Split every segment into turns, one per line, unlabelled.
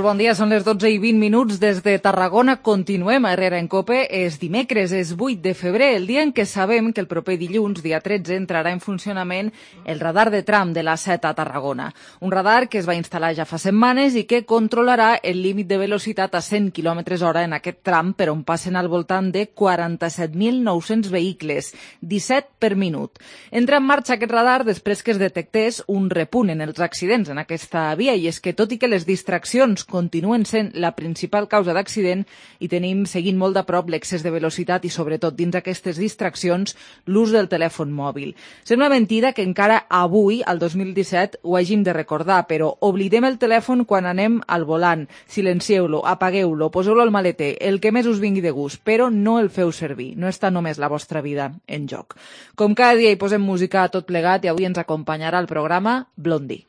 bon dia. Són les 12:20 des de Tarragona. Continuem a Herrera en Cope. És dimecres, és 8 de febrer, el dia en què sabem que el proper dilluns, dia 13, entrarà en funcionament el radar de tram de l'A7 a Tarragona. Un radar que es va instal·lar ja fa setmanes i que controlarà el límit de velocitat a 100 km/h en aquest tram, per on passen al voltant de 47.900 vehicles, 17 per minut. Entra en marxa aquest radar després que es detectés un repunt en els accidents en aquesta via, i és que tot i que les distraccions continuen sent la principal causa d'accident i tenim seguint molt de prop l'excés de velocitat i sobretot dins aquestes distraccions l'ús del telèfon mòbil. Sembla mentida que encara avui, al 2017, ho hàgim de recordar, però oblidem el telèfon quan anem al volant. Silencieu-lo, apagueu-lo, poseu-lo al maleter, el que més us vingui de gust, però no el feu servir. No està només la vostra vida en joc. Com cada dia hi posem música a tot plegat i avui ens acompanyarà al programa Blondie.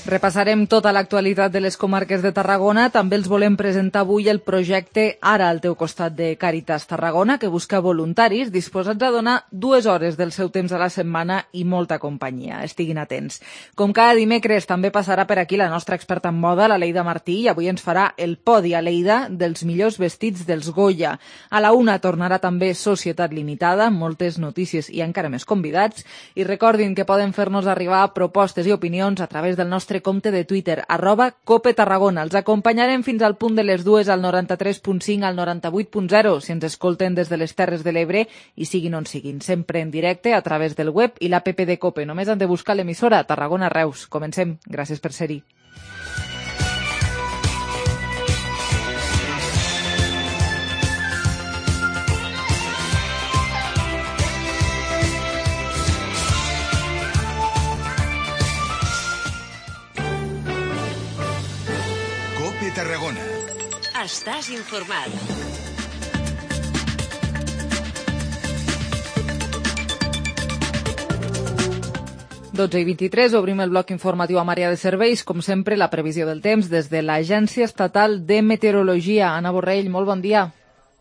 Repassarem tota l'actualitat de les comarques de Tarragona. També els volem presentar avui el projecte Ara al teu costat de Càritas Tarragona, que busca voluntaris disposats a donar 2 hores del seu temps a la setmana i molta companyia. Estiguin atents. Com cada dimecres també passarà per aquí la nostra experta en moda, la Leida Martí, i avui ens farà el podi a Lleida dels millors vestits dels Goya. A la 1 tornarà també Societat Limitada, moltes notícies i encara més convidats. I recordin que poden fer-nos arribar propostes i opinions a través del nostre compte de Twitter, @CopeTarragona. Els acompanyarem fins al punt de les 2 al 93.5 al 98.0 si ens escolten des de les Terres de l'Ebre i siguin on siguin, sempre en directe a través del web i l'app de Cope. Només han de buscar l'emissora Tarragona Reus. Comencem. Gràcies per ser-hi.
Tarragona.
Estàs informat.
Dotze i 23, obrim el bloc informatiu amb àrea de serveis. Com sempre, la previsió del temps des de l'Agència Estatal de Meteorologia. Anna Borrell, molt bon dia.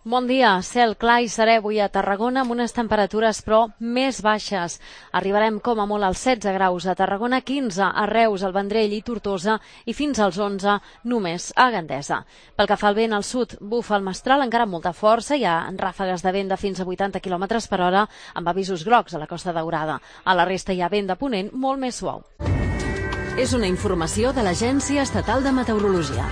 Bon dia. Cel clar i serè avui a Tarragona amb unes temperatures, però, més baixes. Arribarem com a molt als 16 graus a Tarragona, 15 a Reus, al Vendrell i Tortosa i fins als 11 només a Gandesa. Pel que fa al vent al sud, bufa el mestral encara amb molta força, hi ha ràfegues de vent de fins a 80 km per hora amb avisos grocs a la Costa Daurada. A la resta hi ha vent de ponent molt més suau.
És una informació de l'Agència Estatal de Meteorologia.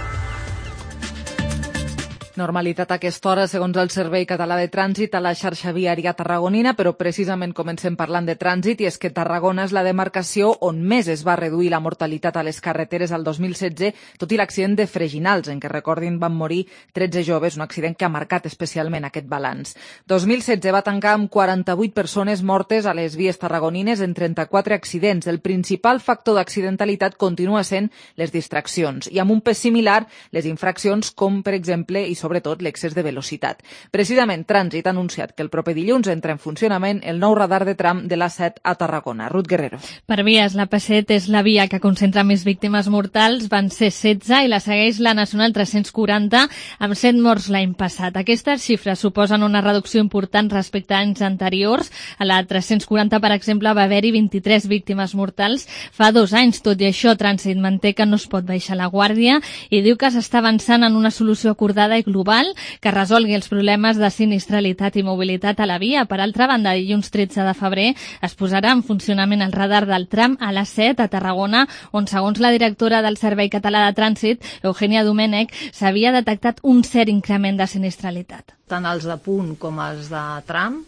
Normalitat a aquesta hora, segons el Servei Català de Trànsit, a la xarxa viària tarragonina, però precisament comencem parlant de trànsit, i és que Tarragona és la demarcació on més es va reduir la mortalitat a les carreteres al 2016, tot i l'accident de Freginals, en què, recordin, van morir 13 joves, un accident que ha marcat especialment aquest balanç. 2016 va tancar amb 48 persones mortes a les vies tarragonines en 34 accidents. El principal factor d'accidentalitat continua sent les distraccions, i amb un pes similar les infraccions com, per exemple, i sobretot l'excés de velocitat. Precisament, Trànsit ha anunciat que el proper dilluns entra en funcionament el nou radar de tram de l'A7 a Tarragona. Ruth Guerrero.
Per vies, la P7 és la via que concentra més víctimes mortals, van ser 16, i la segueix la Nacional 340, amb 7 morts l'any passat. Aquestes xifres suposen una reducció important respecte a anys anteriors. A la 340, per exemple, va haver-hi 23 víctimes mortals fa 2 anys. Tot i això, Trànsit manté que no es pot baixar la guàrdia i diu que s'està avançant en una solució acordada i global que resolgui els problemes de sinistralitat i mobilitat a la via. Per altra banda, dilluns 13 de febrer es posarà en funcionament el radar del tram a l'A7 a Tarragona, on, segons la directora del Servei Català de Trànsit, Eugènia Domènech, s'havia detectat un cert increment de sinistralitat.
Tant els de punt com els de tram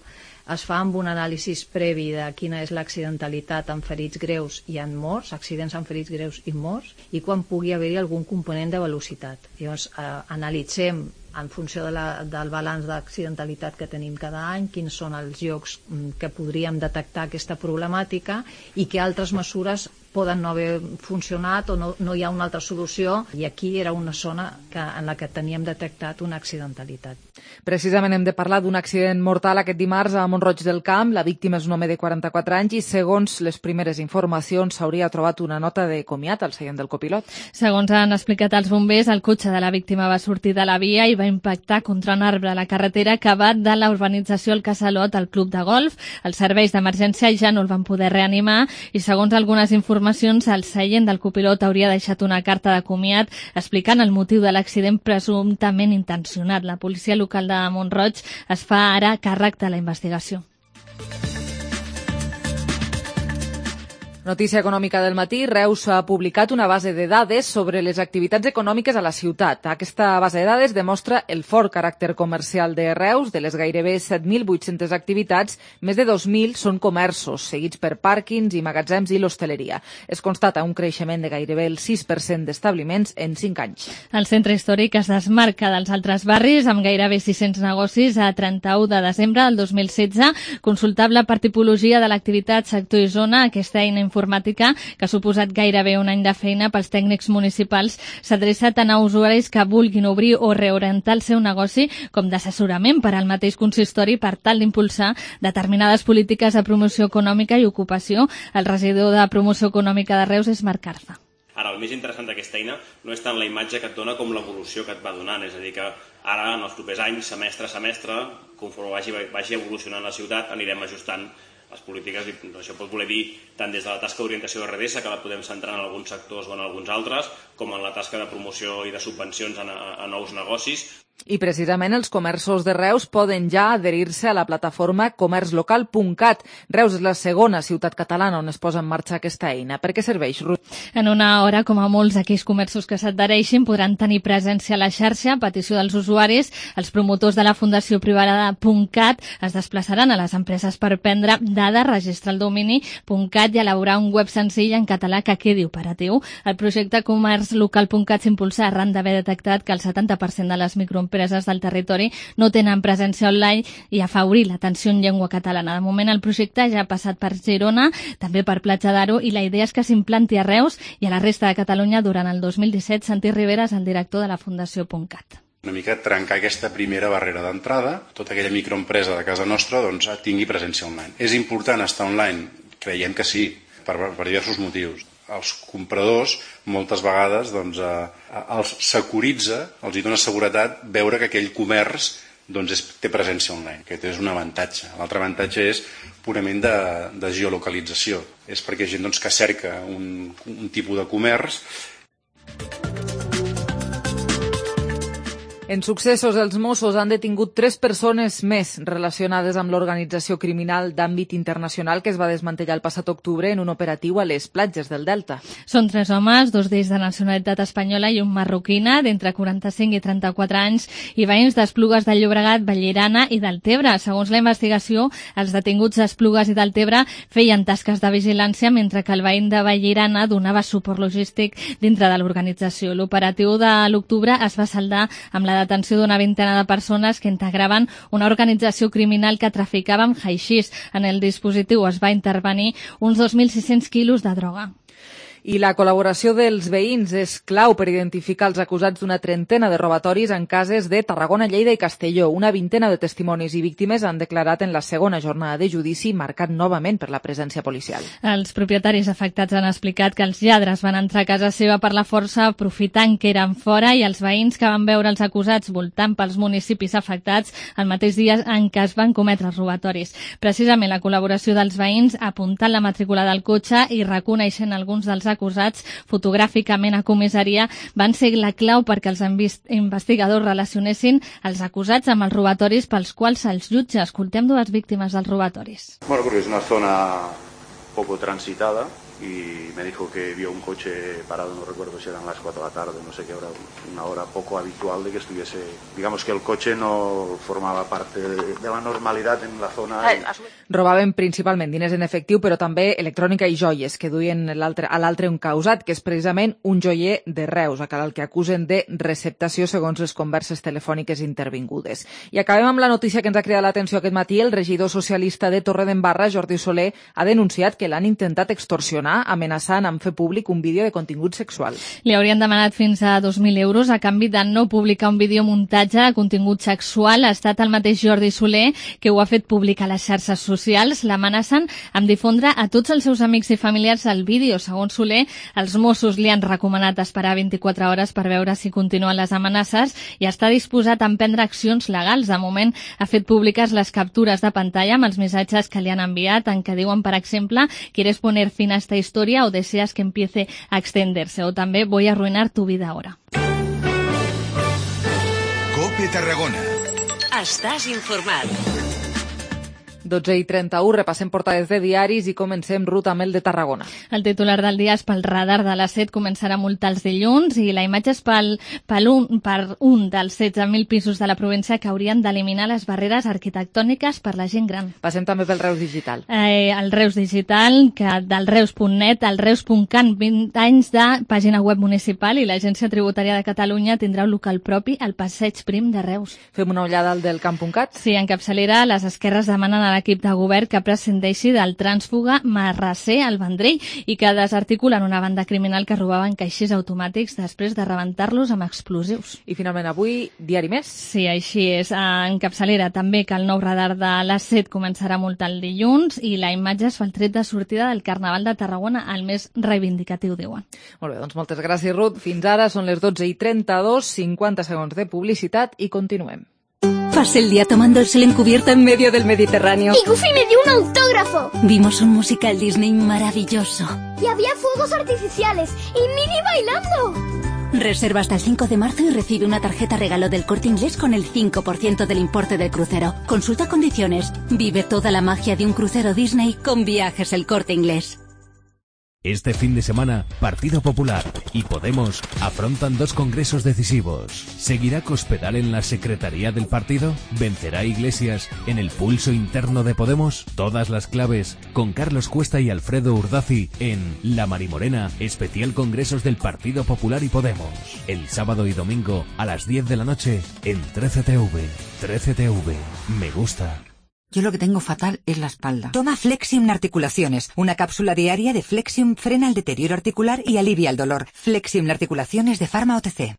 es fa amb un anàlisi previ de quina és l'accidentalitat en ferits greus i en morts, accidents en ferits greus i morts, i quan pugui haver-hi algun component de velocitat. Llavors, analitzem en funció del balanç d'accidentalitat que tenim cada any, quins són els llocs que podríem detectar aquesta problemàtica i què altres mesures poden no haver funcionat o no hi ha una altra solució, i aquí era una zona en la que teníem detectat una accidentalitat.
Precisament hem de parlar d'un accident mortal aquest dimarts a Mont-roig del Camp. La víctima és un home de 44 anys i, segons les primeres informacions, s'hauria trobat una nota de comiat al seient del copilot.
Segons han explicat els bombers, el cotxe de la víctima va sortir de la via i va impactar contra un arbre a la carretera que va de la urbanització al Casalot al club de golf. Els serveis d'emergència ja no el van poder reanimar i, segons algunes informacions, el seient del copilot hauria deixat una carta de comiat explicant el motiu de l'accident presumptament intencionat. La policia local de Mont-roig es fa ara càrrec de la investigació.
Notícia econòmica del matí. Reus ha publicat una base de dades sobre les activitats econòmiques a la ciutat. Aquesta base de dades demostra el fort caràcter comercial de Reus. De les gairebé 7.800 activitats, més de 2.000 són comerços, seguits per pàrquings i magatzems i l'hostaleria. Es constata un creixement de gairebé el 6% d'establiments en 5 anys.
El centre històric es desmarca dels altres barris amb gairebé 600 negocis a 31 de desembre del 2016. Consultable per tipologia de l'activitat, sector i zona, aquesta eina informàtica, que ha suposat gairebé un any de feina pels tècnics municipals, s'adreça tant a usuaris que vulguin obrir o reorientar el seu negoci com d'assessorament per al mateix consistori per tal d'impulsar determinades polítiques de promoció econòmica i ocupació. El regidor de Promoció Econòmica de Reus és Marc Arza.
Ara, el més interessant d'aquesta eina no és tant la imatge que et dona com l'evolució que et va donant, és a dir, que ara, en els propers anys, semestre a semestre, conforme vagi evolucionant la ciutat, anirem ajustant les polítiques, i això pot voler dir tant des de la tasca d'orientació de RDS, que la podem centrar en alguns sectors o en alguns altres, com en la tasca de promoció i de subvencions a nous negocis.
I precisament els comerços de Reus poden ja adherir-se a la plataforma comerçlocal.cat. Reus és la segona ciutat catalana on es posa en marxa aquesta eina. Per què serveix, Ruth?
En una hora, com a molts aquells comerços que s'adhereixin, podran tenir presència a la xarxa a petició dels usuaris. Els promotors de la Fundació Privada .cat es desplaçaran a les empreses per prendre dades, registrar el domini .cat i elaborar un web senzill en català que quedi operatiu. El projecte comerçlocal.cat s'impulsa arran d'haver detectat que el 70% de les microempreses del territori no tenen presència online i afavorir l'atenció en llengua catalana. De moment el projecte ja ha passat per Girona, també per Platja d'Aro, i la idea és que s'implanti a Reus i a la resta de Catalunya durant el 2017. Santi Rivera és el director de la Fundació .cat.
Una mica trencar aquesta primera barrera d'entrada, tota aquella microempresa de casa nostra tingui presència online. És important estar online? Creiem que sí, per diversos motius. Els compradors moltes vegades els securitza, els hi dona seguretat veure que aquell comerç té presència online. Aquest és un avantatge. L'altre avantatge és purament de geolocalització. És perquè gent que cerca un tipus de comerç.
En successos, els Mossos han detingut 3 persones més relacionades amb l'organització criminal d'àmbit internacional que es va desmantellar el passat octubre en un operatiu a les platges del Delta.
Són 3 homes, 2 d'ells de nacionalitat espanyola i un marroquina d'entre 45 i 34 anys i veïns d'Esplugues de Llobregat, Vallirana i Deltebre. Segons la investigació, els detinguts d'Esplugues i Deltebre feien tasques de vigilància mentre que el veïn de Vallirana donava suport logístic dintre de l'organització. L'operatiu de l'octubre es va saldar amb la detenció d'una vintena de persones que integraven una organització criminal que traficava amb haixís. En el dispositiu es va intervenir uns 2.600 quilos de droga.
I la col·laboració dels veïns és clau per identificar els acusats d'una trentena de robatoris en cases de Tarragona, Lleida i Castelló. Una vintena de testimonis i víctimes han declarat en la segona jornada de judici, marcat novament per la presència policial.
Els propietaris afectats han explicat que els lladres van entrar a casa seva per la força aprofitant que eren fora i els veïns que van veure els acusats voltant pels municipis afectats el mateix dia en què es van cometre els robatoris. Precisament la col·laboració dels veïns, apuntant la matrícula del cotxe i reconeixent alguns dels acusats fotogràficament a comissaria, van ser la clau perquè els investigadors relacionessin els acusats amb els robatoris pels quals se'ls jutja. Escoltem 2 víctimes dels robatoris.
Bueno, porque es una zona poco transitada y me dijo que vio un coche parado, no recuerdo si eran las 4 de la tarde, no sé qué hora, una hora poco habitual de que estuviese, digamos que el coche no formaba parte de la normalidad en la zona.
Robaven principalment diners en efectiu, però també electrònica i joies que duien a l'altre encausat, que és precisament un joier de Reus, el que acusen de receptació segons les converses telefòniques intervingudes. I acabem amb la notícia que ens ha cridat l'atenció aquest matí. El regidor socialista de Torredembarra, Jordi Soler, ha denunciat que l'han intentat extorsionar Tarragona, amenaçant amb fer públic un vídeo de contingut sexual.
Li haurien demanat fins a 2.000 euros a canvi de no publicar un videomuntatge de contingut sexual. Ha estat el mateix Jordi Soler que ho ha fet públic a les xarxes socials. L'amenacen amb difondre a tots els seus amics i familiars el vídeo. Segons Soler, els Mossos li han recomanat esperar 24 hores per veure si continuen les amenaces i està disposat a emprendre accions legals. De moment ha fet públiques les captures de pantalla amb els missatges que li han enviat en què diuen, per exemple, ¿quieres poner fin a esta historia o deseas que empiece a extenderse? O també voy a arruinar tu vida ahora.
COPE Tarragona.
Estàs informat.
12:31, repassem portades de diaris i comencem ruta amb el de Tarragona.
El titular del dia és pel radar de la SET començarà a multar els dilluns i la imatge és per un dels 16.000 pisos de la província que haurien d'eliminar les barreres arquitectòniques per la gent gran.
Passem també pel Reus Digital.
El Reus Digital, que del Reus.net al Reus.can, 20 anys de pàgina web municipal i l'Agència Tributària de Catalunya tindrà un local propi al Passeig Prim de Reus.
Fem una ullada al del Camp.cat?
Sí, en capçalera les esquerres demanen a l'equip de govern que prescindeixi del trànsfuga Marrasser al Vendrell i que desarticulen una banda criminal que robaven caixers automàtics després de rebentar-los amb explosius.
I finalment avui, diari més?
Sí, així és. En capçalera també que el nou radar de la SET començarà a multar el dilluns i la imatge es fa el tret de sortida del Carnaval de Tarragona, el més reivindicatiu, diuen.
Molt bé, doncs moltes gràcies, Ruth. Fins ara són les 12:32, 50 segons de publicitat i continuem.
Pasé el día tomando el sol en cubierta en medio del Mediterráneo.
Y Goofy me dio un autógrafo.
Vimos un musical Disney maravilloso.
Y había fuegos artificiales y Minnie bailando.
Reserva hasta el 5 de marzo y recibe una tarjeta regalo del Corte Inglés con el 5% del importe del crucero. Consulta condiciones. Vive toda la magia de un crucero Disney con Viajes El Corte Inglés.
Este fin de semana, Partido Popular y Podemos afrontan dos congresos decisivos. ¿Seguirá Cospedal en la secretaría del partido? ¿Vencerá Iglesias en el pulso interno de Podemos? Todas las claves con Carlos Cuesta y Alfredo Urdazi en La Marimorena, especial congresos del Partido Popular y Podemos. El sábado y domingo a las 10 de la noche en 13TV. 13TV. Me gusta.
Yo lo que tengo fatal es la espalda. Toma Flexium Articulaciones. Una cápsula diaria de Flexium frena el deterioro articular y alivia el dolor. Flexium Articulaciones de Pharma OTC.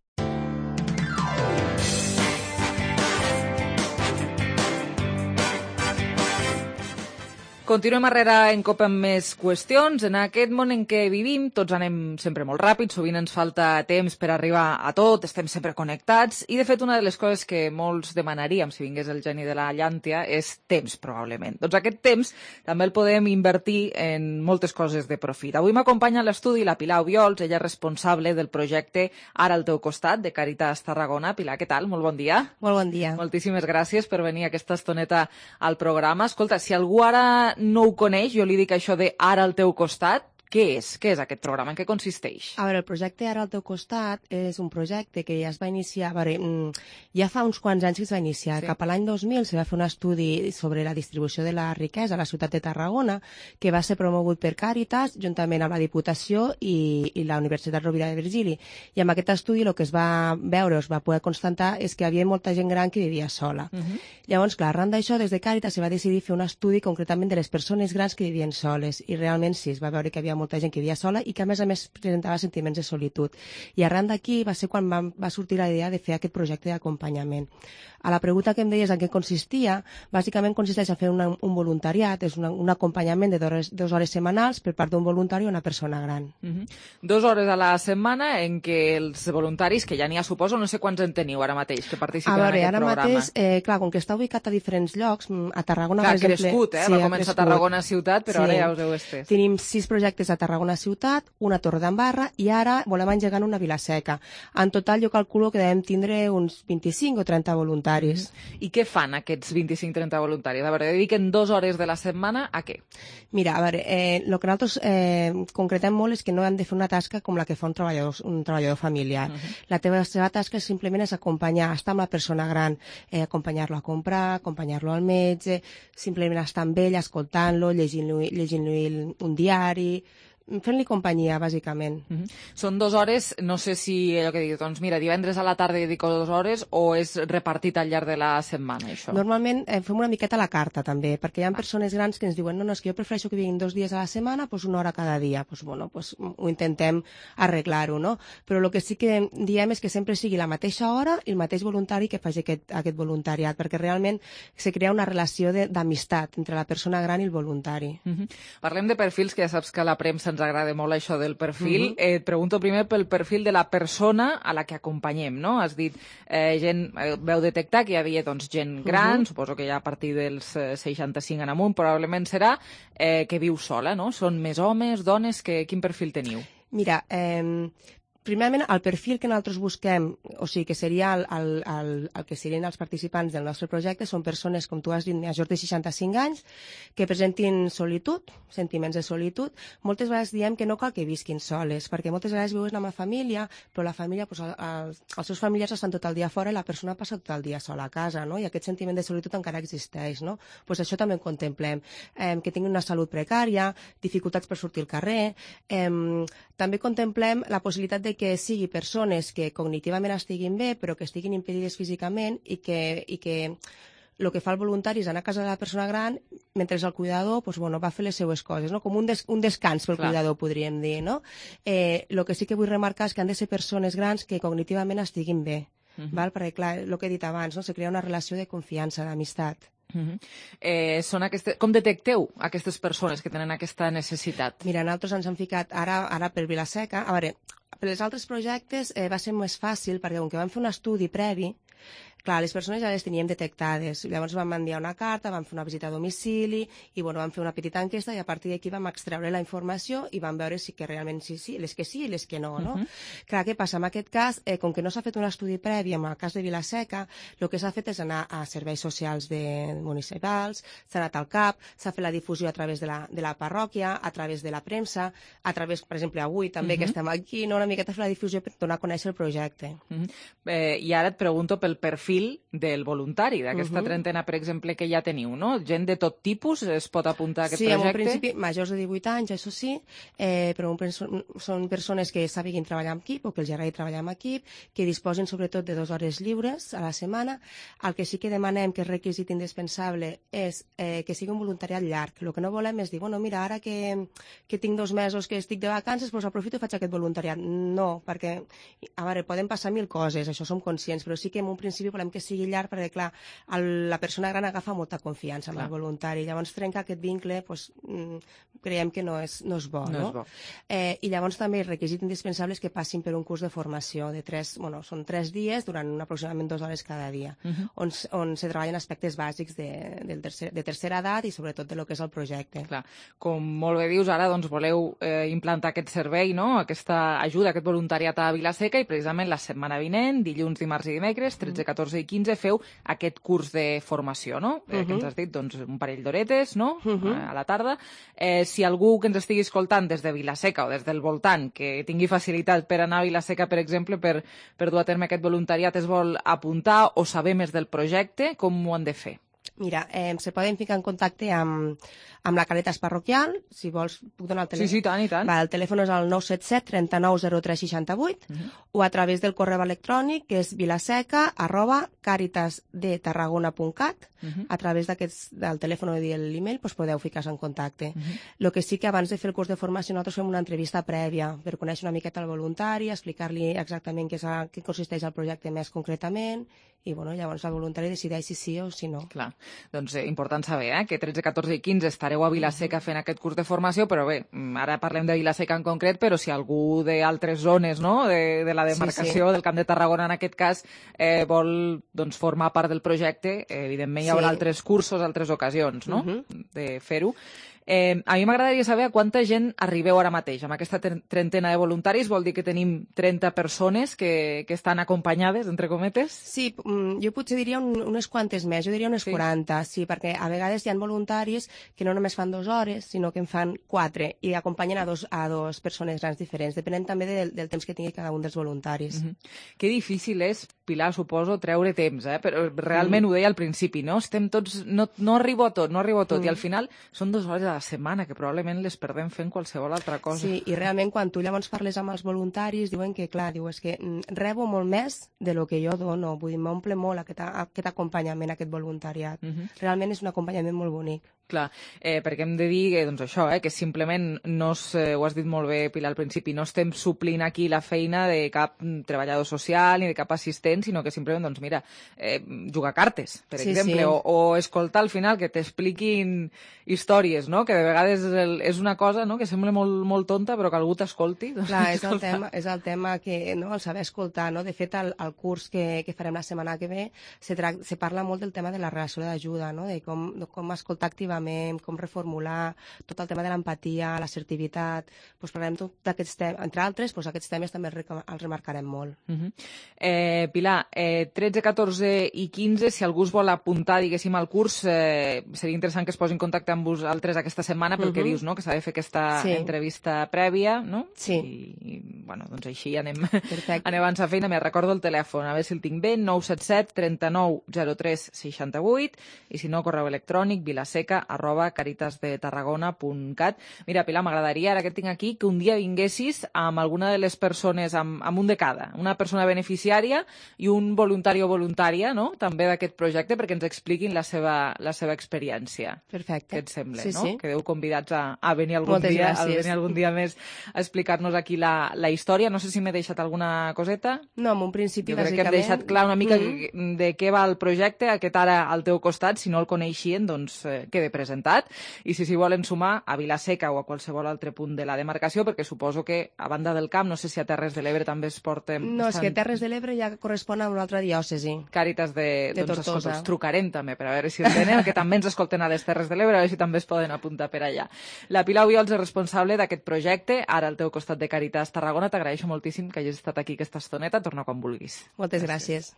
Continuem arrere en COPE amb més qüestions. En aquest món en què vivim, tots anem sempre molt ràpid, sovint ens falta temps per arribar a tot, estem sempre connectats, i de fet una de les coses que molts demanaríem si vingués el geni de la llàntia és temps, probablement. Doncs aquest temps també el podem invertir en moltes coses de profit. Avui m'acompanya a l'estudi la Pilar Obiols, ella és responsable del projecte Ara al teu costat, de Càritas Tarragona. Pilar, què tal? Molt bon dia.
Molt bon dia.
Moltíssimes gràcies per venir aquesta estoneta al programa. Escolta, si algú ara no ho coneix, jo li dic això de Ara al teu costat. Què és? Què és aquest programa? En què consisteix?
A veure, el projecte Ara al teu costat és un projecte que ja es va iniciar, ja fa uns quants anys que es va iniciar. Sí. Cap a l'any 2000 se va fer un estudi sobre la distribució de la riquesa a la ciutat de Tarragona, que va ser promogut per Càritas, juntament amb la Diputació i la Universitat Rovira de Virgili. I amb aquest estudi el que es va veure, es va poder constatar, és que hi havia molta gent gran que vivia sola. Llavors, clar, arran d'això, des de Càritas se va decidir fer un estudi concretament de les persones grans que vivien soles. I realment sí, es va veure que hi havia molta gent que vivia sola i que a més presentava sentiments de solitud. I arran d'aquí va ser quan va sortir la idea de fer aquest projecte d'acompanyament. A la pregunta que em deies en què consistia, bàsicament consisteix a fer un voluntariat, és un acompanyament de 2 hores setmanals per part d'un voluntari o una persona gran.
2 hores a la setmana en què els voluntaris, que ja n'hi ha, suposo, no sé quants en teniu ara mateix, que participen en aquest programa.
Ara mateix, clar, com que està ubicat a diferents llocs, a Tarragona, per exemple...
Clar, crescut, va començar a Tarragona ciutat, però ara ja us heu estès.
Tenim 6 projectes a Tarragona ciutat, una Torre d'Embarra i ara volem engegar una Vilaseca. En total jo calculo que devem tindre uns 25 o 30 voluntaris.
I què fan aquests 25-30 voluntaris? A veure, dediquen 2 hores de la setmana a què?
Mira, a veure, el que nosaltres concretem molt és que no han de fer una tasca com la que fa un treballador familiar. La seva tasca simplement és acompanyar, estar amb la persona gran, acompanyar-lo a comprar, acompanyar-lo al metge, simplement estar amb ell, escoltant-lo, llegint-li un diari, fent-li companyia, bàsicament.
Són 2 hores, no sé si allò que dic, doncs mira, divendres a la tarda dedico 2 hores o és repartit al llarg de la setmana, això?
Normalment fem una miqueta a la carta, també, perquè hi ha persones grans que ens diuen no, és que jo prefereixo que vinguin 2 dies a la setmana, doncs 1 hora cada dia. Doncs bueno, ho intentem arreglar-ho, no? Però el que sí que diem és que sempre sigui la mateixa hora i el mateix voluntari que faci aquest voluntariat, perquè realment se crea una relació d'amistat entre la persona gran i el voluntari.
Parlem de perfils, que ja saps que a la premsa ens agrada molt això del perfil. Et pregunto primer pel perfil de la persona a la que acompanyem, no? Has dit, veu detectar que hi havia gent gran, suposo que ja a partir dels 65 en amunt, probablement serà que viu sola, no? Són més homes, dones, quin perfil teniu?
Mira, primerament, el perfil que nosaltres busquem, o sigui, que seria el que serien els participants del nostre projecte, són persones, com tu has dit, majors de 65 anys, que presentin solitud, sentiments de solitud. Moltes vegades diem que no cal que visquin soles, perquè moltes vegades viuen amb la família, però la família, els seus familiars estan tot el dia fora i la persona passa tot el dia sola a casa, no? I aquest sentiment de solitud encara existeix, no? Doncs això també ho contemplem. Que tinguin una salut precària, dificultats per sortir al carrer. També contemplem la possibilitat de que sigui persones que cognitivament estiguin bé, però que estiguin impedides físicament i que el que fa el voluntari és anar a casa de la persona gran mentre el cuidador va fer les seues coses, no? Com un descans pel cuidador, podríem dir, no? El que sí que vull remarcar és que han de ser persones grans que cognitivament estiguin bé, perquè, clar, el que he dit abans, se crea una relació de confiança, d'amistat.
Com detecteu aquestes persones que tenen aquesta necessitat?
Mira, nosaltres ens hem ficat ara per Vila-seca. A veure, per als altres projectes va ser més fàcil perquè com que vam fer un estudi previ, clar, les persones ja les teníem detectades. Llavors vam enviar una carta, vam fer una visita a domicili i vam fer una petita enquesta i a partir d'aquí vam extreure la informació i vam veure si que realment sí, les que sí i les que no, no? Clar, què passa? En aquest cas, com que no s'ha fet un estudi previ, en el cas de Vila-seca, el que s'ha fet és anar a serveis socials municipals, s'ha anat al CAP, s'ha fet la difusió a través de la parròquia, a través de la premsa, a través, per exemple, avui també que estem aquí, una miqueta fer la difusió per donar a conèixer el projecte.
I ara et pregunto pel perfil del voluntari, d'aquesta trentena, per exemple, que ja teniu, no? Gent de tot tipus es pot apuntar a aquest projecte?
Sí, en un principi, majors de 18 anys, això sí, però són persones que sàpiguin treballar en equip o que els agradi treballar en equip, que disposin sobretot de 2 hores lliures a la setmana. El que sí que demanem, que és requisit indispensable, és que sigui un voluntariat llarg. El que no volem és dir, mira, ara que tinc 2 mesos que estic de vacances, doncs aprofito i faig aquest voluntariat. No, perquè, a veure, poden passar 1000 coses, això som conscients, però sí que en un principi volem que sigui llarg perquè, clar, la persona gran agafa molta confiança amb el voluntari. Llavors, trencar aquest vincle, creiem que no és bo, no? I llavors també el requisit indispensable és que passin per un curs de formació de 3 dies durant aproximadament 2 hores cada dia, on se treballen aspectes bàsics de tercera edat i sobretot de lo que és el projecte.
Clar, com molt bé dius, ara voleu implantar aquest servei, no? Aquesta ajuda, aquest voluntariat a Vila-seca i precisament la setmana vinent, dilluns, dimarts i dimecres, 13, 14 i 15, feu aquest curs de formació, no? Que ens has dit, un parell d'horetes, no? A la tarda. Si algú que ens estigui escoltant des de Vila-seca o des del voltant, que tingui facilitat per anar a Vila-seca, per exemple, per dur a terme aquest voluntariat, es vol apuntar o saber més del projecte, com ho han de fer?
Mira, se poden ficar en contacte amb la Càritas parroquial, si vols puc donar el telèfon.
Sí, tant i tant.
El telèfon és el 977 39 03 68 o a través del correu electrònic que és vilaseca@caritasdetarragona.cat. A través del telèfon o l'email podeu ficar-se en contacte. El que sí que abans de fer el curs de formació nosaltres fem una entrevista prèvia per conèixer una miqueta el voluntari, explicar-li exactament què consisteix el projecte més concretament i llavors el voluntari decideix si sí o si no.
Clar, doncs important saber que 13, 14 i 15 estareu a Vila-seca fent aquest curs de formació, però bé, ara parlem de Vila-seca en concret, però si algú d'altres zones, no?, de la demarcació, del Camp de Tarragona en aquest cas, vol formar part del projecte, evidentment hi haurà altres cursos, altres ocasions, no?, de fer-ho. A mi m'agradaria saber a quanta gent arribeu ara mateix. Amb aquesta trentena de voluntaris vol dir que tenim 30 persones que estan acompanyades, entre cometes?
Sí, jo potser diria unes quantes més, jo diria unes 40, sí, perquè a vegades hi ha voluntaris que no només fan 2 hores, sinó que en fan 4 i acompanyen a dos persones grans diferents, depenent també del temps que tingui cada un dels voluntaris.
Que difícil és, Pilar, suposo, treure temps, però realment ho deia al principi, no? Estem tots... No arribo a tot, i al final són 2 hores a la setmana, que probablement les perdem fent qualsevol altra cosa.
Sí, i realment quan tu llavors parles amb els voluntaris diuen que, clar, és que rebo molt més de lo que jo dono, vull dir, m'omple molt aquest acompanyament, aquest voluntariat. Realment és un acompanyament molt bonic.
Clar, perquè hem de dir doncs això, que simplement no ho has dit molt bé, Pilar, al principi, no estem suplint aquí la feina de cap treballador social ni de cap assistent, sinó que simplement, doncs mira, jugar cartes, per exemple, o escoltar al final que t'expliquin històries, no? Que de vegades és una cosa, no?, que sembla molt tonta, però que algú t'escolti.
Clar, és el tema que, no?, el saber escoltar, no? De fet, al curs que farem la setmana que ve se parla molt del tema de la relació d'ajuda, no?, de com escoltar activament, com reformular, tot el tema de l'empatia, l'assertivitat, doncs parlarem tot d'aquests temes, entre altres, doncs aquests temes també els remarcarem molt.
Pilar, 13, 14 i 15, si algú es vol apuntar, diguéssim, al curs, seria interessant que es posi en contacte amb vosaltres aquesta setmana, pel que dius, no?, que s'ha de fer aquesta entrevista prèvia, no?
Sí.
I, bueno, doncs així anem abans a feina. Me recordo el telèfon, a veure si el tinc bé, 977 39 03 68, i si no, correu electrònic vilaseca@caritasdetarragona.cat. Mira, Pilar, m'agradaria, ara que et tinc aquí, que un dia vinguessis amb alguna de les persones, amb un de cada, una persona beneficiària i un voluntari o voluntària, no?, també d'aquest projecte, perquè ens expliquin la seva experiència.
Perfecte.
Què et sembla,
sí,
no?
Sí.
Quedeu convidats a venir algun dia més a explicar-nos aquí la història. No sé si m'he deixat alguna coseta.
No, en un principi,
jo crec que hem deixat clar una mica de què va el projecte, aquest ara al teu costat. Si no el coneixien, doncs quede presentat. I si volen sumar a Vilaseca o a qualsevol altre punt de la demarcació, perquè suposo que a banda del Camp, no sé si a Terres de l'Ebre també es porten...
No, és que Terres de l'Ebre ja correspon a una altra diòcesi.
Càritas de
Tortosa.
Escolta, els trucarem també per a veure si el tenen, que també ens escolten a les Terres de l'Ebre, a veure si també es poden apuntar per allà. La Pilar Obiols és responsable d'aquest projecte, ara al teu costat de Càritas Tarragona. T'agraeixo moltíssim que hagis estat aquí aquesta estoneta. Torna quan vulguis.
Moltes gràcies.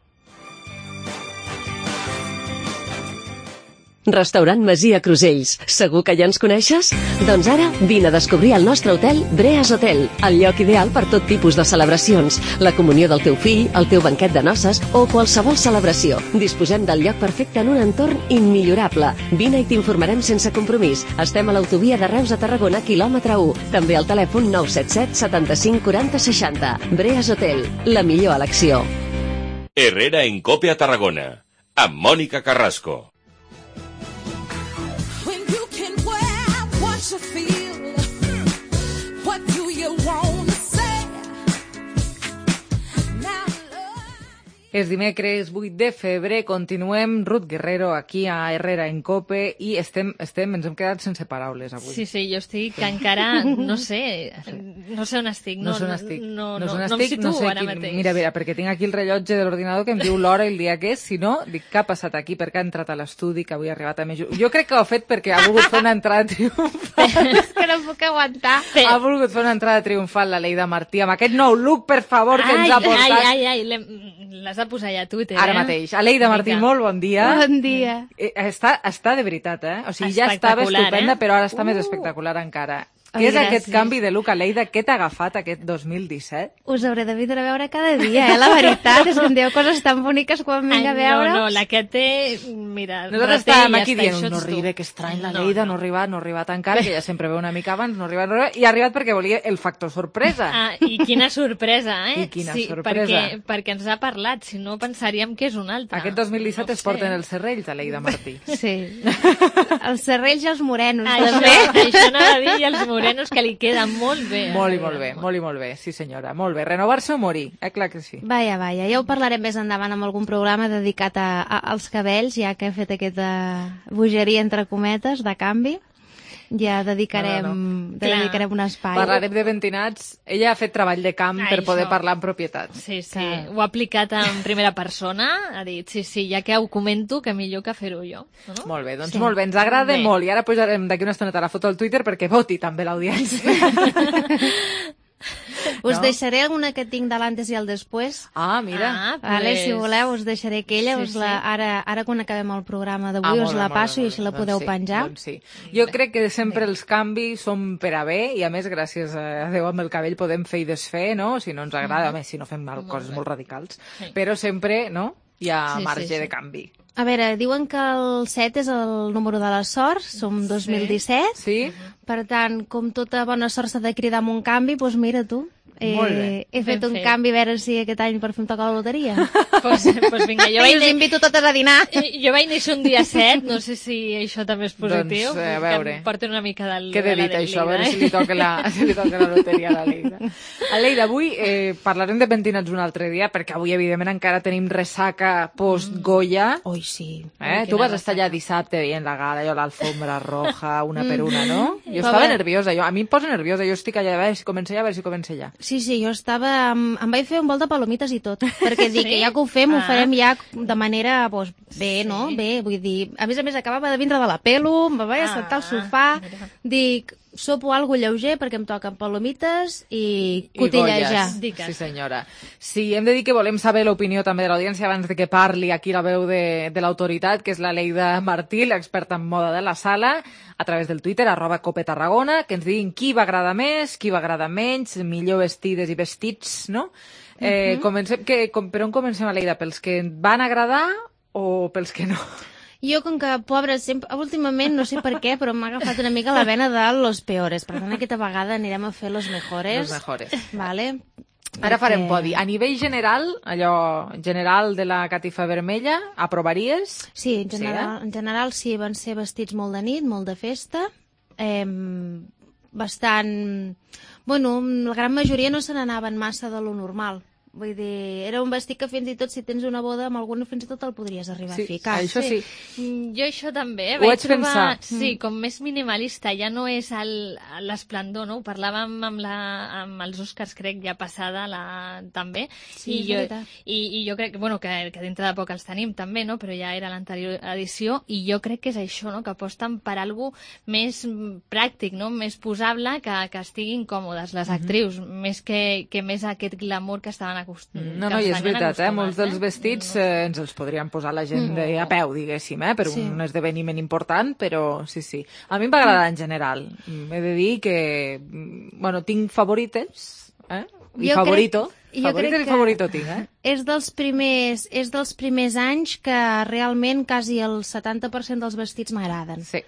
Restaurant Masia Crusells. Segur que ja ens coneixes? Doncs ara vine a descobrir el nostre hotel Breas Hotel, el lloc ideal per tot tipus de celebracions, la comunió del teu fill, el teu banquet de noces o qualsevol celebració. Disposem del lloc perfecte en un entorn immillorable. Vine i t'informarem sense compromís. Estem a l'autovia de Reus a Tarragona, quilòmetre 1. També al telèfon 977 75 40 60. Breas Hotel, la millor elecció.
Herrera en Cope a Tarragona, amb Mònica Carrasco.
És dimecres 8 de febrer, continuem, Ruth Guerrero aquí a Herrera en Cope i ens hem quedat sense paraules avui.
Sí, jo estic encara, no sé on estic. No em situo ara mateix.
Mira, perquè tinc aquí el rellotge de l'ordinador que em diu l'hora i el dia que és, si no, dic, què ha passat aquí? Per què ha entrat a l'estudi, que avui ha arribat a més... Jo crec que ho ha fet perquè ha volgut fer una entrada triomfal.
És que no puc aguantar.
Ha volgut fer una entrada triomfal la Leida Martí, amb aquest nou look, per favor, que ens ha portat.
L'has de posar ja a Twitter,
Ara mateix. Aleida Martí, molt bon dia.
Bon dia.
Està de veritat, O sigui, ja estava estupenda, però ara està més espectacular encara. Què és aquest canvi de look, Aleida? Què t'ha agafat aquest 2017?
Us hauré de vindre a veure cada dia, la veritat. És que em diu coses tan boniques quan vinc a veure.
No, la que té... Mira,
nosaltres estàvem aquí dient, no arriba, que estrany la Leida, no ha arribat encara, que ja sempre ve una mica abans, no ha arribat, i ha arribat perquè volia el factor sorpresa.
I quina sorpresa,
I quina sorpresa.
Perquè ens ha parlat, si no pensaríem que és un altre.
Aquest 2017 es porten els serrells, Aleida Martí.
Sí. Els serrells i els morenos,
també. Això anava a dir, i els morenos, que li queden molt bé.
Molt bé, sí senyora, molt bé. Renovar-se o morir, clar que sí.
Vaja, ja ho parlarem més endavant amb algun programa dedicat als cabells, ja que he fet aquesta bogeria entre cometes de canvi. Ja dedicarem un espai.
Parlarem de pentinats. Ella ha fet treball de camp per poder parlar en propietat.
Sí, ho ha aplicat en primera persona, ha dit, sí, ja que ho comento, que millor que fer-ho jo. No?
Molt bé, doncs molt bé, ens agrada molt. I ara posarem d'aquí una estoneta la foto al Twitter perquè voti també l'audiència.
Us deixaré alguna que tinc de l'antes i el després.
Mira.
Si voleu, us deixaré aquella. Ara quan acabem el programa d'avui us la passo i així la podeu penjar.
Jo crec que sempre els canvis són per a bé i a més gràcies a Déu amb el cabell podem fer i desfer, no? Si no ens agrada, a més si no fem coses molt radicals. Però sempre, no? hi ha
Sí,
marge
sí, sí.
de canvi.
A veure, diuen que el 7 és el número de la sort, som 2017.
Sí.
Per tant, com tota bona sort s'ha de cridar amb un canvi, doncs mira tu.
Molt bé.
He fet
Ben
un
fet.
canvi a veure si aquest any per fi em toca la loteria.
Pues vinga,
I us invito totes a dinar.
Jo vaig néixer un dia 7, no sé si això també és positiu.
Doncs, a veure.
Que em porten una mica del...
Què he dit, això? A veure si li toca la loteria a la Leida. Aleida, avui parlarem de pentinats un altre dia, perquè avui, evidentment, encara tenim ressaca post-Goya.
Oi, sí.
Tu vas estar allà dissabte veient la gala, jo l'alfombra roja, una per una, no? Jo
Però
estava
bé.
nerviosa, a mi em posa nerviosa, jo estic allà, a veure si comença ja.
Sí, jo estava... Em vaig fer un vol de palomites i tot, perquè dic que ja que ho fem, ho farem ja de manera, doncs, bé, no? Bé, vull dir... A més, acabava de vindre de la pelo, em vaig assentar al sofà, dic, sopo algo lleuger perquè em toquen palomites i cotillejar.
Sí, senyora. Sí, hem de dir que volem saber l'opinió també de l'audiència abans de que parli aquí la veu de l'autoritat, que és la Leida Martí, l'experta en moda de la sala, a través del Twitter, @copetarragona, que ens diguin qui va agradar més, qui va agradar menys, millor vestides i vestits, no? Comencem, per on comencem, Aleida? Pels que van agradar o pels que no?
Jo, com que, pobra, sempre, últimament, no sé per què, però m'ha agafat una mica la vena de los peores. Per tant, aquesta vegada anirem a fer los mejores.
Los mejores.
Vale?
Ara farem podi. A nivell general, allò general de la catifa vermella, aprovaries?
Sí, en general sí, van ser vestits molt de nit, molt de festa, bastant... Bueno, la gran majoria no se n'anaven massa de lo normal. Vull dir, era un vestit que fins i tot si tens una boda amb algun fins i tot el podries arribar a ficar.
Això sí.
Jo això també,
Ho vaig pensar.
Sí, com més minimalista, ja no és l'esplendor, no? Ho parlàvem amb els Oscars, crec, ja passada també.
Sí,
I jo crec que dintre de poc els tenim també, no? Però ja era l'anterior edició, i jo crec que és això, no? Que aposten per algo més pràctic, no? Més posable, que estiguin còmodes les actrius, més que més aquest glamour que estaven acostumats.
No, i és veritat, molts dels vestits ens els podrien posar la gent a peu, diguéssim, per un esdeveniment important, però sí. A mi em va agradar en general. He de dir que, bueno, tinc favorites, i favorito. Favorites i favorito tinc,
És dels primers anys que realment quasi el 70% dels vestits m'agraden.
Sí.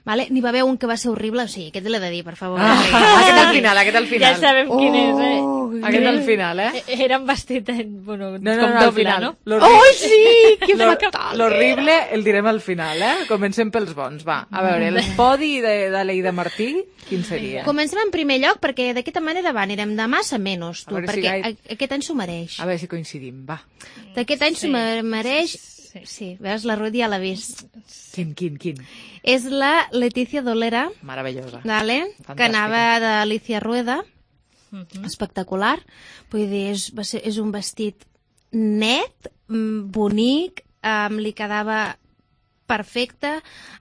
Vale? N'hi va haver un que va ser horrible, sí, aquest l'he de dir, per favor.
Aquest al final.
Ja sabem quin és,
Aquest al final,
Era un vestit, bueno,
no,
com doble, no?
Oh, sí! Que fatal!
L'horrible el direm al final, Comencem pels bons, va. A veure, el podi d'Aleida Martí, quin seria?
Comencem en primer lloc, perquè d'aquesta manera anirem de massa menys, tu, perquè aquest any s'ho mereix.
A veure si coincidim, va.
D'aquest any s'ho mereix... Sí, veus, la Ruth ja l'ha vist.
Quin?
És la Leticia Dolera.
Meravellosa.
Vale? Que anava d'Alicia Rueda. Espectacular. Vull dir, és un vestit net, bonic, li quedava perfecte.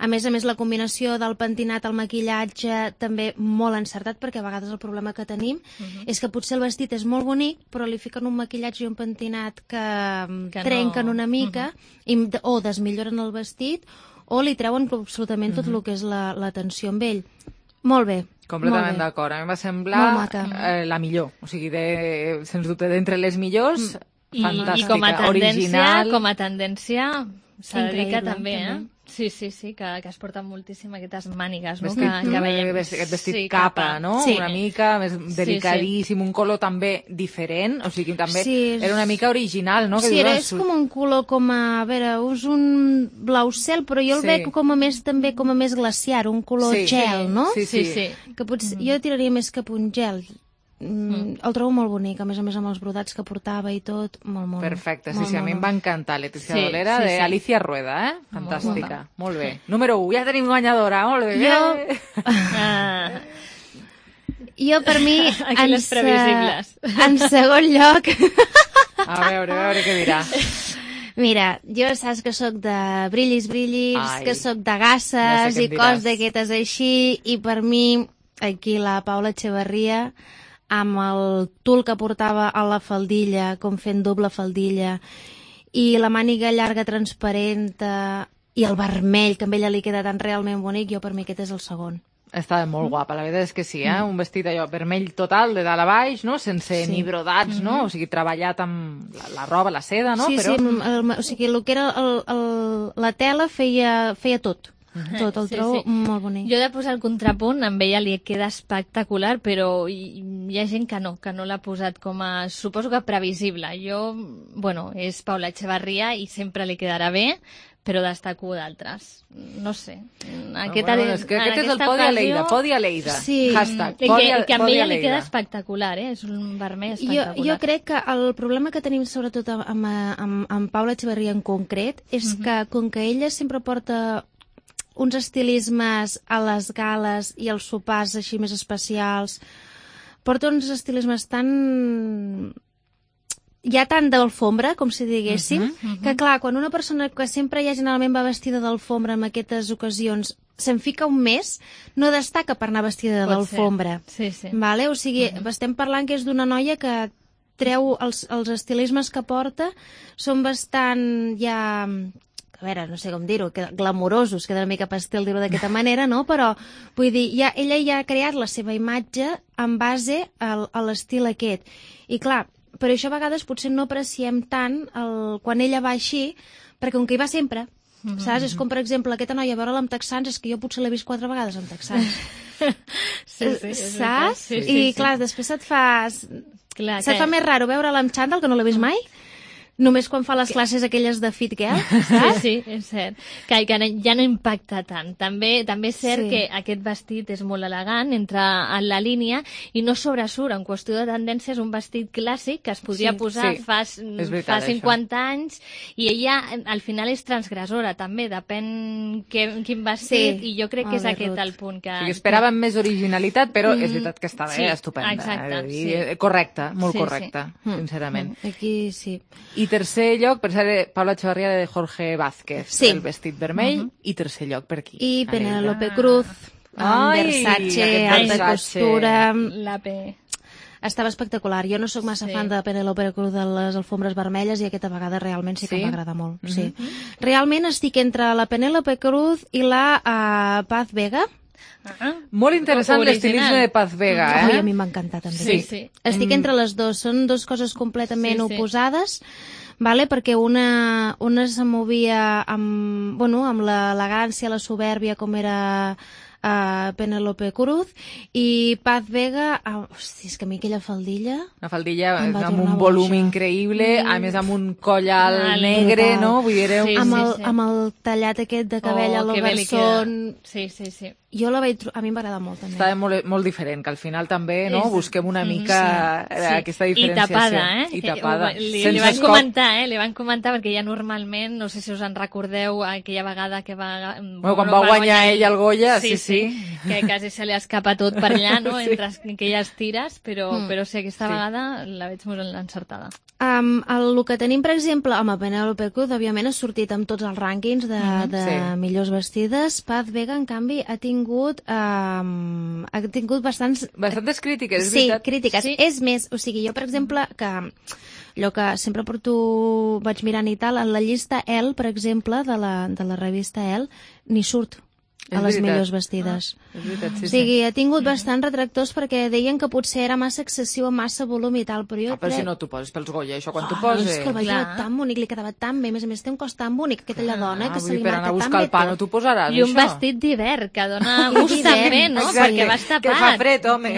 A més, la combinació del pentinat al maquillatge també molt encertat, perquè a vegades el problema que tenim és que potser el vestit és molt bonic, però li fiquen un maquillatge i un pentinat que trenquen una mica o desmilloren el vestit o li treuen absolutament tot el que és la tensió amb ell. Molt bé.
Completament d'acord. A mi em va semblar la millor. O sigui, sens dubte, d'entre les millors, fantàstica, original.
I com a tendència s'ha de dir que també,
Sí,
que es porten moltíssim aquestes mànigues, no?
Aquest vestit capa, no? Una mica més delicadíssim, un color també diferent, o sigui, també era una mica original, no?
Sí, és com un color a veure, és un blau cel, però jo el veig com a més glaciar, un color gel, no?
Sí.
Que potser jo tiraria més cap un gel. El trobo molt bonic, a més amb els brodats que portava i tot, molt.
Perfecte, sí, a mi em va encantar Leticia Dolera d'Alicia Rueda, fantàstica, molt bé. Número 1, ja tenim guanyadora, molt bé.
Jo per mi,
aquí les previsibles.
En segon lloc...
A veure què dirà.
Mira, jo saps que sóc de brillis, que sóc de gasses i coses d'aquestes així, i per mi, aquí la Paula Echeverría, amb el tul que portava a la faldilla, com fent doble faldilla, i la màniga llarga transparent, i el vermell, que a ella li queda tan realment bonic, jo per mi aquest és el segon.
Estava molt guapa, la veritat és que sí, un vestit allò vermell total, de dalt a baix, no? Sense ni brodats, no? O sigui, treballat amb la roba, la seda, no?
Sí, o sigui, el que era la tela feia tot. Tot, el trobo molt bonic.
Jo he de posar el contrapunt, amb ella li queda espectacular, però hi ha gent que no l'ha posat com a, suposo que previsible. És Paula Echevarría i sempre li quedarà bé, però destaco d'altres. No sé.
És que aquest és el Podi Aleida.
Sí,
hashtag,
que amb ella li queda espectacular, és un vermell espectacular.
Jo crec que el problema que tenim sobretot amb Paula Echevarría en concret és que com que ella sempre porta uns estilismes a les gales i als sopars així més especials, porta uns estilismes tan d'alfombra, com si diguéssim, que clar, quan una persona que sempre ja generalment va vestida d'alfombra en aquestes ocasions se'n fica un mes, no destaca per anar vestida d'alfombra. O sigui, estem parlant que és d'una noia que treu els estilismes que porta, són bastant ja... a veure, no sé com dir-ho, glamorosos, queda una mica pastel dir-ho d'aquesta manera, no? Però, vull dir, ella ja ha creat la seva imatge en base a l'estil aquest. I clar, per això a vegades potser no apreciem tant quan ella va així, perquè com que hi va sempre, saps? És com, per exemple, aquesta noia, veure-la amb texans, és que jo potser l'he vist 4 vegades amb texans. Saps? I clar, després se't fa més raro veure-la amb xandall, que no l'he vist mai, només quan fa les classes aquelles de Fit Girl, saps?
Sí, és cert. Que ja no impacta tant. També és cert que aquest vestit és molt elegant, entra en la línia i no sobresurt. En qüestió de tendència és un vestit clàssic que es podria posar fa 50 anys i ella al final és transgressora també, depèn quin vestit i jo crec que és aquest el punt que...
Esperàvem més originalitat, però és veritat que estava estupenda.
Exacte.
Correcta, molt correcta, sincerament.
Aquí sí.
I tercer lloc, per ser Paula Echevarría de Jorge Vázquez, el vestit vermell, i tercer lloc per aquí.
I Penélope Cruz, amb Versace, alta costura...
La P.
Estava espectacular. Jo no sóc massa fan de Penélope Cruz de les alfombres vermelles i aquesta vegada realment sí que m'agrada molt. Realment estic entre la Penélope Cruz i la Paz Vega.
Molt interessant l'estilisme de Paz Vega,
a mi m'ha encantat també. Estic entre les dues, són dues coses completament oposades, perquè una se movia amb l'elegància, la soberbia, com era Penélope Cruz, i Paz Vega, és que a mi aquella faldilla...
Una faldilla amb un volum increïble, a més amb un coll alt negre, no?
Amb el tallat aquest de cabell a l'Oberson...
Sí.
Jo la vaig trobar, a mi m'agrada molt també.
Estava molt diferent, que al final també busquem una mica aquesta diferenciació.
I tapada. Li van comentar, perquè ja normalment, no sé si us en recordeu aquella vegada que va...
quan va guanyar ell el Goya, sí.
Que quasi se li escapa tot per allà, no?, entre aquelles tires, però sí, aquesta vegada la veig molt encertada.
El que tenim, per exemple, amb Penélope Cruz, òbviament ha sortit amb tots els rànquings de millors vestides. Paz Vega, en canvi, ha tingut bastantes
crítiques, és veritat.
Sí, crítiques. És més, o sigui, jo, per exemple, que allò que sempre vaig mirant i tal, en la llista Elle, per exemple, de la revista Elle, ni surt a les millors vestides.
És veritat,
o sigui, ha tingut bastants retractors perquè deien que potser era massa excessiu, amb massa volum i tal, però jo
però si no t'ho poses pels Goya, això quan t'ho poses...
És que el veia tan bonic, li quedava tan bé, a més té un cos tan bonic, aquesta dona, que se li
marca tan bé. Per anar a buscar el pa no t'ho posaràs,
I un vestit d'hivern, que dona gust també, no? Perquè vas tapat.
Que fa fred, home.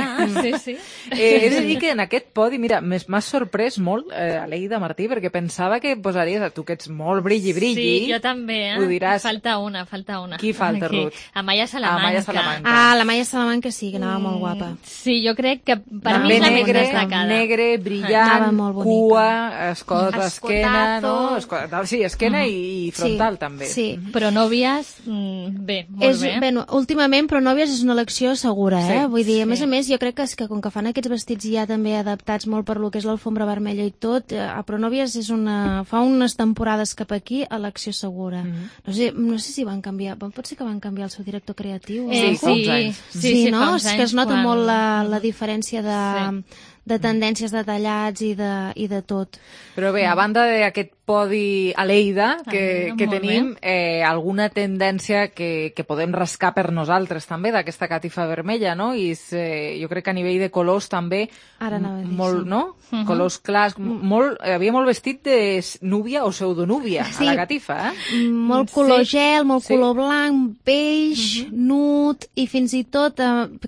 Sí.
He de dir que en aquest podi, mira, m'ha sorprès molt, Aleida Martí, perquè pensava que posaries, tu que ets molt brilli.
Sí, jo també, falta una.
Qui falta, Ruth?
Amaya Salamanca.
La Maya Salamanca sí, que anava molt guapa.
Sí, jo crec que per mi és la més destacada.
Negre, brillant, cua, escot, esquena, no? Sí, esquena i frontal també.
Sí,
però nòvies, bé, molt bé.
Bé, últimament, però nòvies és una elecció segura, Vull dir, a més, jo crec que com que fan aquests vestits ja també adaptats molt per lo que és l'alfombra vermella i tot, però nòvies fa unes temporades cap aquí, elecció segura. No sé si van canviar, pot ser que van canviar el seu director creatiu.
Sí,
no? És que es nota molt la diferència de tendències de tallats i de tot.
Però bé, a banda d'aquest podi a Lleida que tenim, alguna tendència que podem rascar per nosaltres també d'aquesta catifa vermella, no? I jo crec que a nivell de colors també, molt, no? Colors clars, havia molt vestit de núvia o pseudonúvia a la catifa,
Molt color gel, molt color blanc, beix, nude, i fins i tot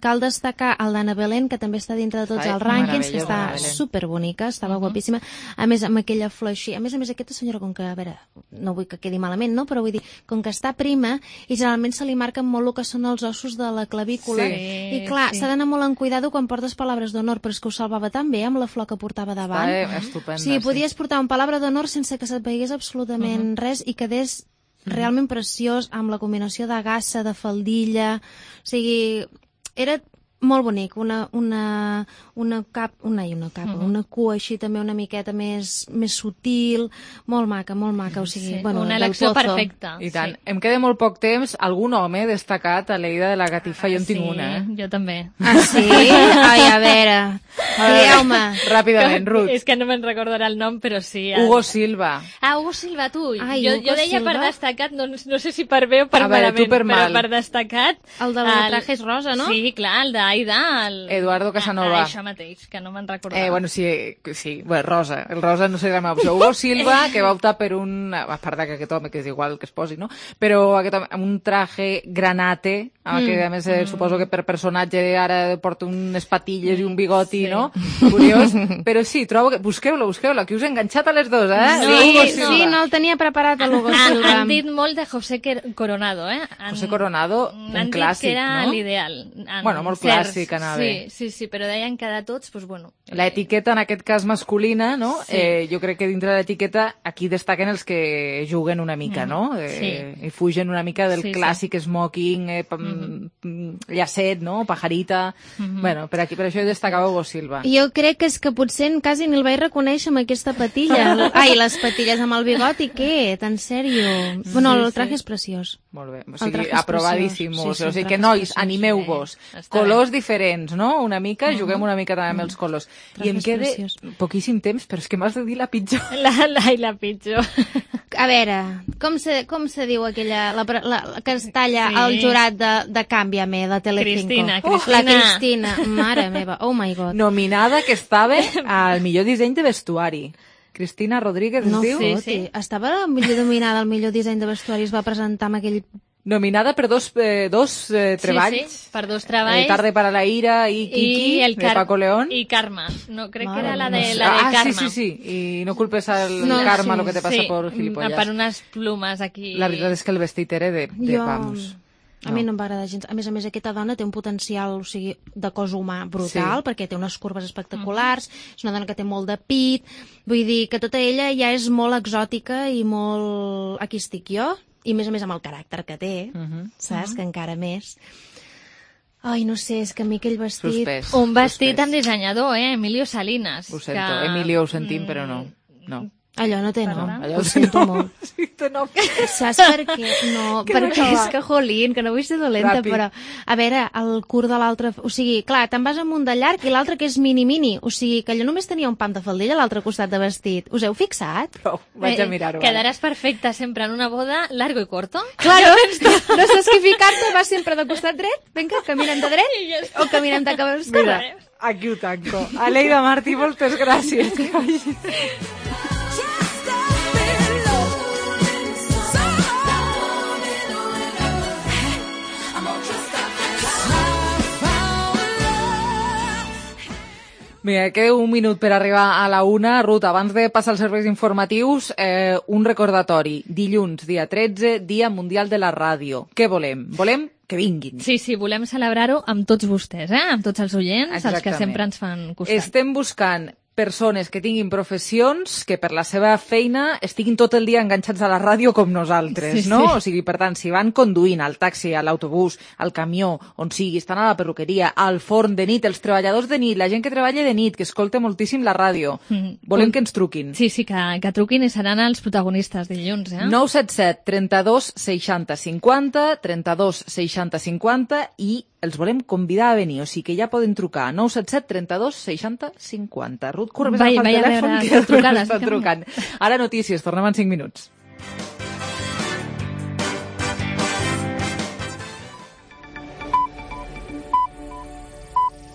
cal destacar el d'Anna Belén, que també està dintre de tots els rànquings, que està superbonica, estava guapíssima, a més amb aquella flor així, a més aquesta senyora, com que, a veure, no vull que quedi malament, no? Però vull dir, com que està prima, i generalment se li marquen molt el que són els ossos de la clavícula, i clar, s'ha d'anar molt en cuidado quan portes palabres d'honor, però és que ho salvava tan bé amb la flor que portava davant.
Estupenda.
Sí, podies portar un palabra d'honor sense que se't veiés absolutament res i quedés realment preciós amb la combinació de gassa, de faldilla, o sigui, era molt bonic, una cua així també una miqueta més sutil, molt maca, o sigui, bueno,
una elecció perfecta.
I tant. Em queda molt poc temps. Algun home destacat a Lleida de la catifa? Jo en tinc una,
Jo també.
Ah, sí? Ai, a veure, dieu-me.
Ràpidament, Ruth.
És que no me'n recordarà el nom, però sí.
Hugo Silva.
Ah, Hugo Silva, tu.
Ai,
jo deia per destacat, no sé si per bé o per malament, però per destacat...
El de los trajes rosa, no?
Sí, clar, el d'Aida,
Eduardo Casanova.
Això mateix, que no me'n recordava.
Bueno, sí, Rosa. El Rosa no seria la meva opció. Hugo Silva, que va optar per a part d'aquest home, que és igual que es posi, no? Però aquest home, amb un traje granate, que a més suposo que per personatge ara porta unes patilles i un bigoti, no? Curiós. Però sí, trobo que... Busqueu-lo, que us he enganxat a les dos,
Sí, no el tenia preparat a l'Hugo Silva.
Han dit molt de José Coronado,
José Coronado, un clàssic, no?
Han dit que era l'ideal.
Bueno, molt clàssic, anava bé.
Sí, però deien que de tots, doncs bueno...
L'etiqueta, en aquest cas masculina, no? Jo crec que dintre de l'etiqueta aquí destaquen els que juguen una mica, no? I fugen una mica del clàssic smoking, llacet, no? Pajarita... Bueno, per això destacava Hugo Silva.
Jo crec que és que potser quasi ni el vaig reconèixer amb aquesta patilla. Ai, les patilles amb el bigoti, què? En sèrio? Bueno, el traje és preciós.
Molt bé, o sigui, aprovadíssimos. O sigui que, nois, animeu-vos. Colors diferents, no? Una mica, juguem una mica també amb els colors. I em queda poquíssim temps, però és que m'has de dir la pitjor.
La pitjor.
A veure, com se diu aquella, la que es talla el jurat de Cámbiame, de Telecinco? La Cristina, mare meva, oh my god.
Nominada que estava al millor disseny de vestuari. Cristina Rodríguez, es diu?
Sí. Estava nominada al millor disseny de vestuari, es va presentar amb aquell...
Nominada per dos treballs.
Sí, per dos treballs.
Tarde para la ira i Kiki, de Paco León.
I Karma. No, crec que era la de Karma.
Sí. I no culpes al Karma lo que te passa por gilipollas.
Per unes plumes aquí.
La veritat és que el vestit era de vamos...
A mi no em va agradar gens. A més, aquesta dona té un potencial, o sigui, de cos humà brutal, perquè té unes curves espectaculars, és una dona que té molt de pit, vull dir que tota ella ja és molt exòtica i molt... Aquí estic jo, i a més amb el caràcter que té, saps? Que encara més... Ai, no sé, és que a mi aquell vestit...
Suspès.
Un vestit amb dissenyador, Emilio Salinas.
Ho sento, Emilio ho sentim, però no.
Allò no té nom, ho sento molt.
Sí, té nom.
Saps per què? No, perquè és que, jolín, que no vull ser dolenta, però... A veure, el curt de l'altre... O sigui, clar, te'n vas amb un de llarg i l'altre que és mini-mini. O sigui, que allò només tenia un pam de faldilla a l'altre costat de vestit. Us heu fixat?
Prou, vaig a mirar-ho.
Quedaràs perfecta sempre en una boda largo i corto.
Claro, no saps què ficar-te, vas sempre de costat dret, vinga, caminem de dret o caminem de cap a l'esquerra.
Mira, aquí ho tanco. Aleida Martí, moltes gràcies. Mira, queda un minut per arribar a la 1. Ruth, abans de passar als serveis informatius, un recordatori. Dilluns, dia 13, Dia Mundial de la Ràdio. Què volem? Volem que vinguin.
Sí, volem celebrar-ho amb tots vostès, amb tots els oients, els que sempre ens fan costat.
Estem buscant persones que tinguin professions que per la seva feina estiguin tot el dia enganxats a la ràdio com nosaltres, no? O sigui, per tant, si van conduint al taxi, a l'autobús, al camió, on sigui, estan a la perruqueria, al forn de nit, els treballadors de nit, la gent que treballa de nit, que escolta moltíssim la ràdio, volem que ens truquin.
Sí, que truquin i seran els protagonistes dilluns,
977 32 60 50, 32 60 50 i els volem convidar a venir, o sigui que ja poden trucar a 977 32 60 50. Ruth Corbes agafa el telèfon, que estan trucant. Ara notícies, tornem en 5 minuts.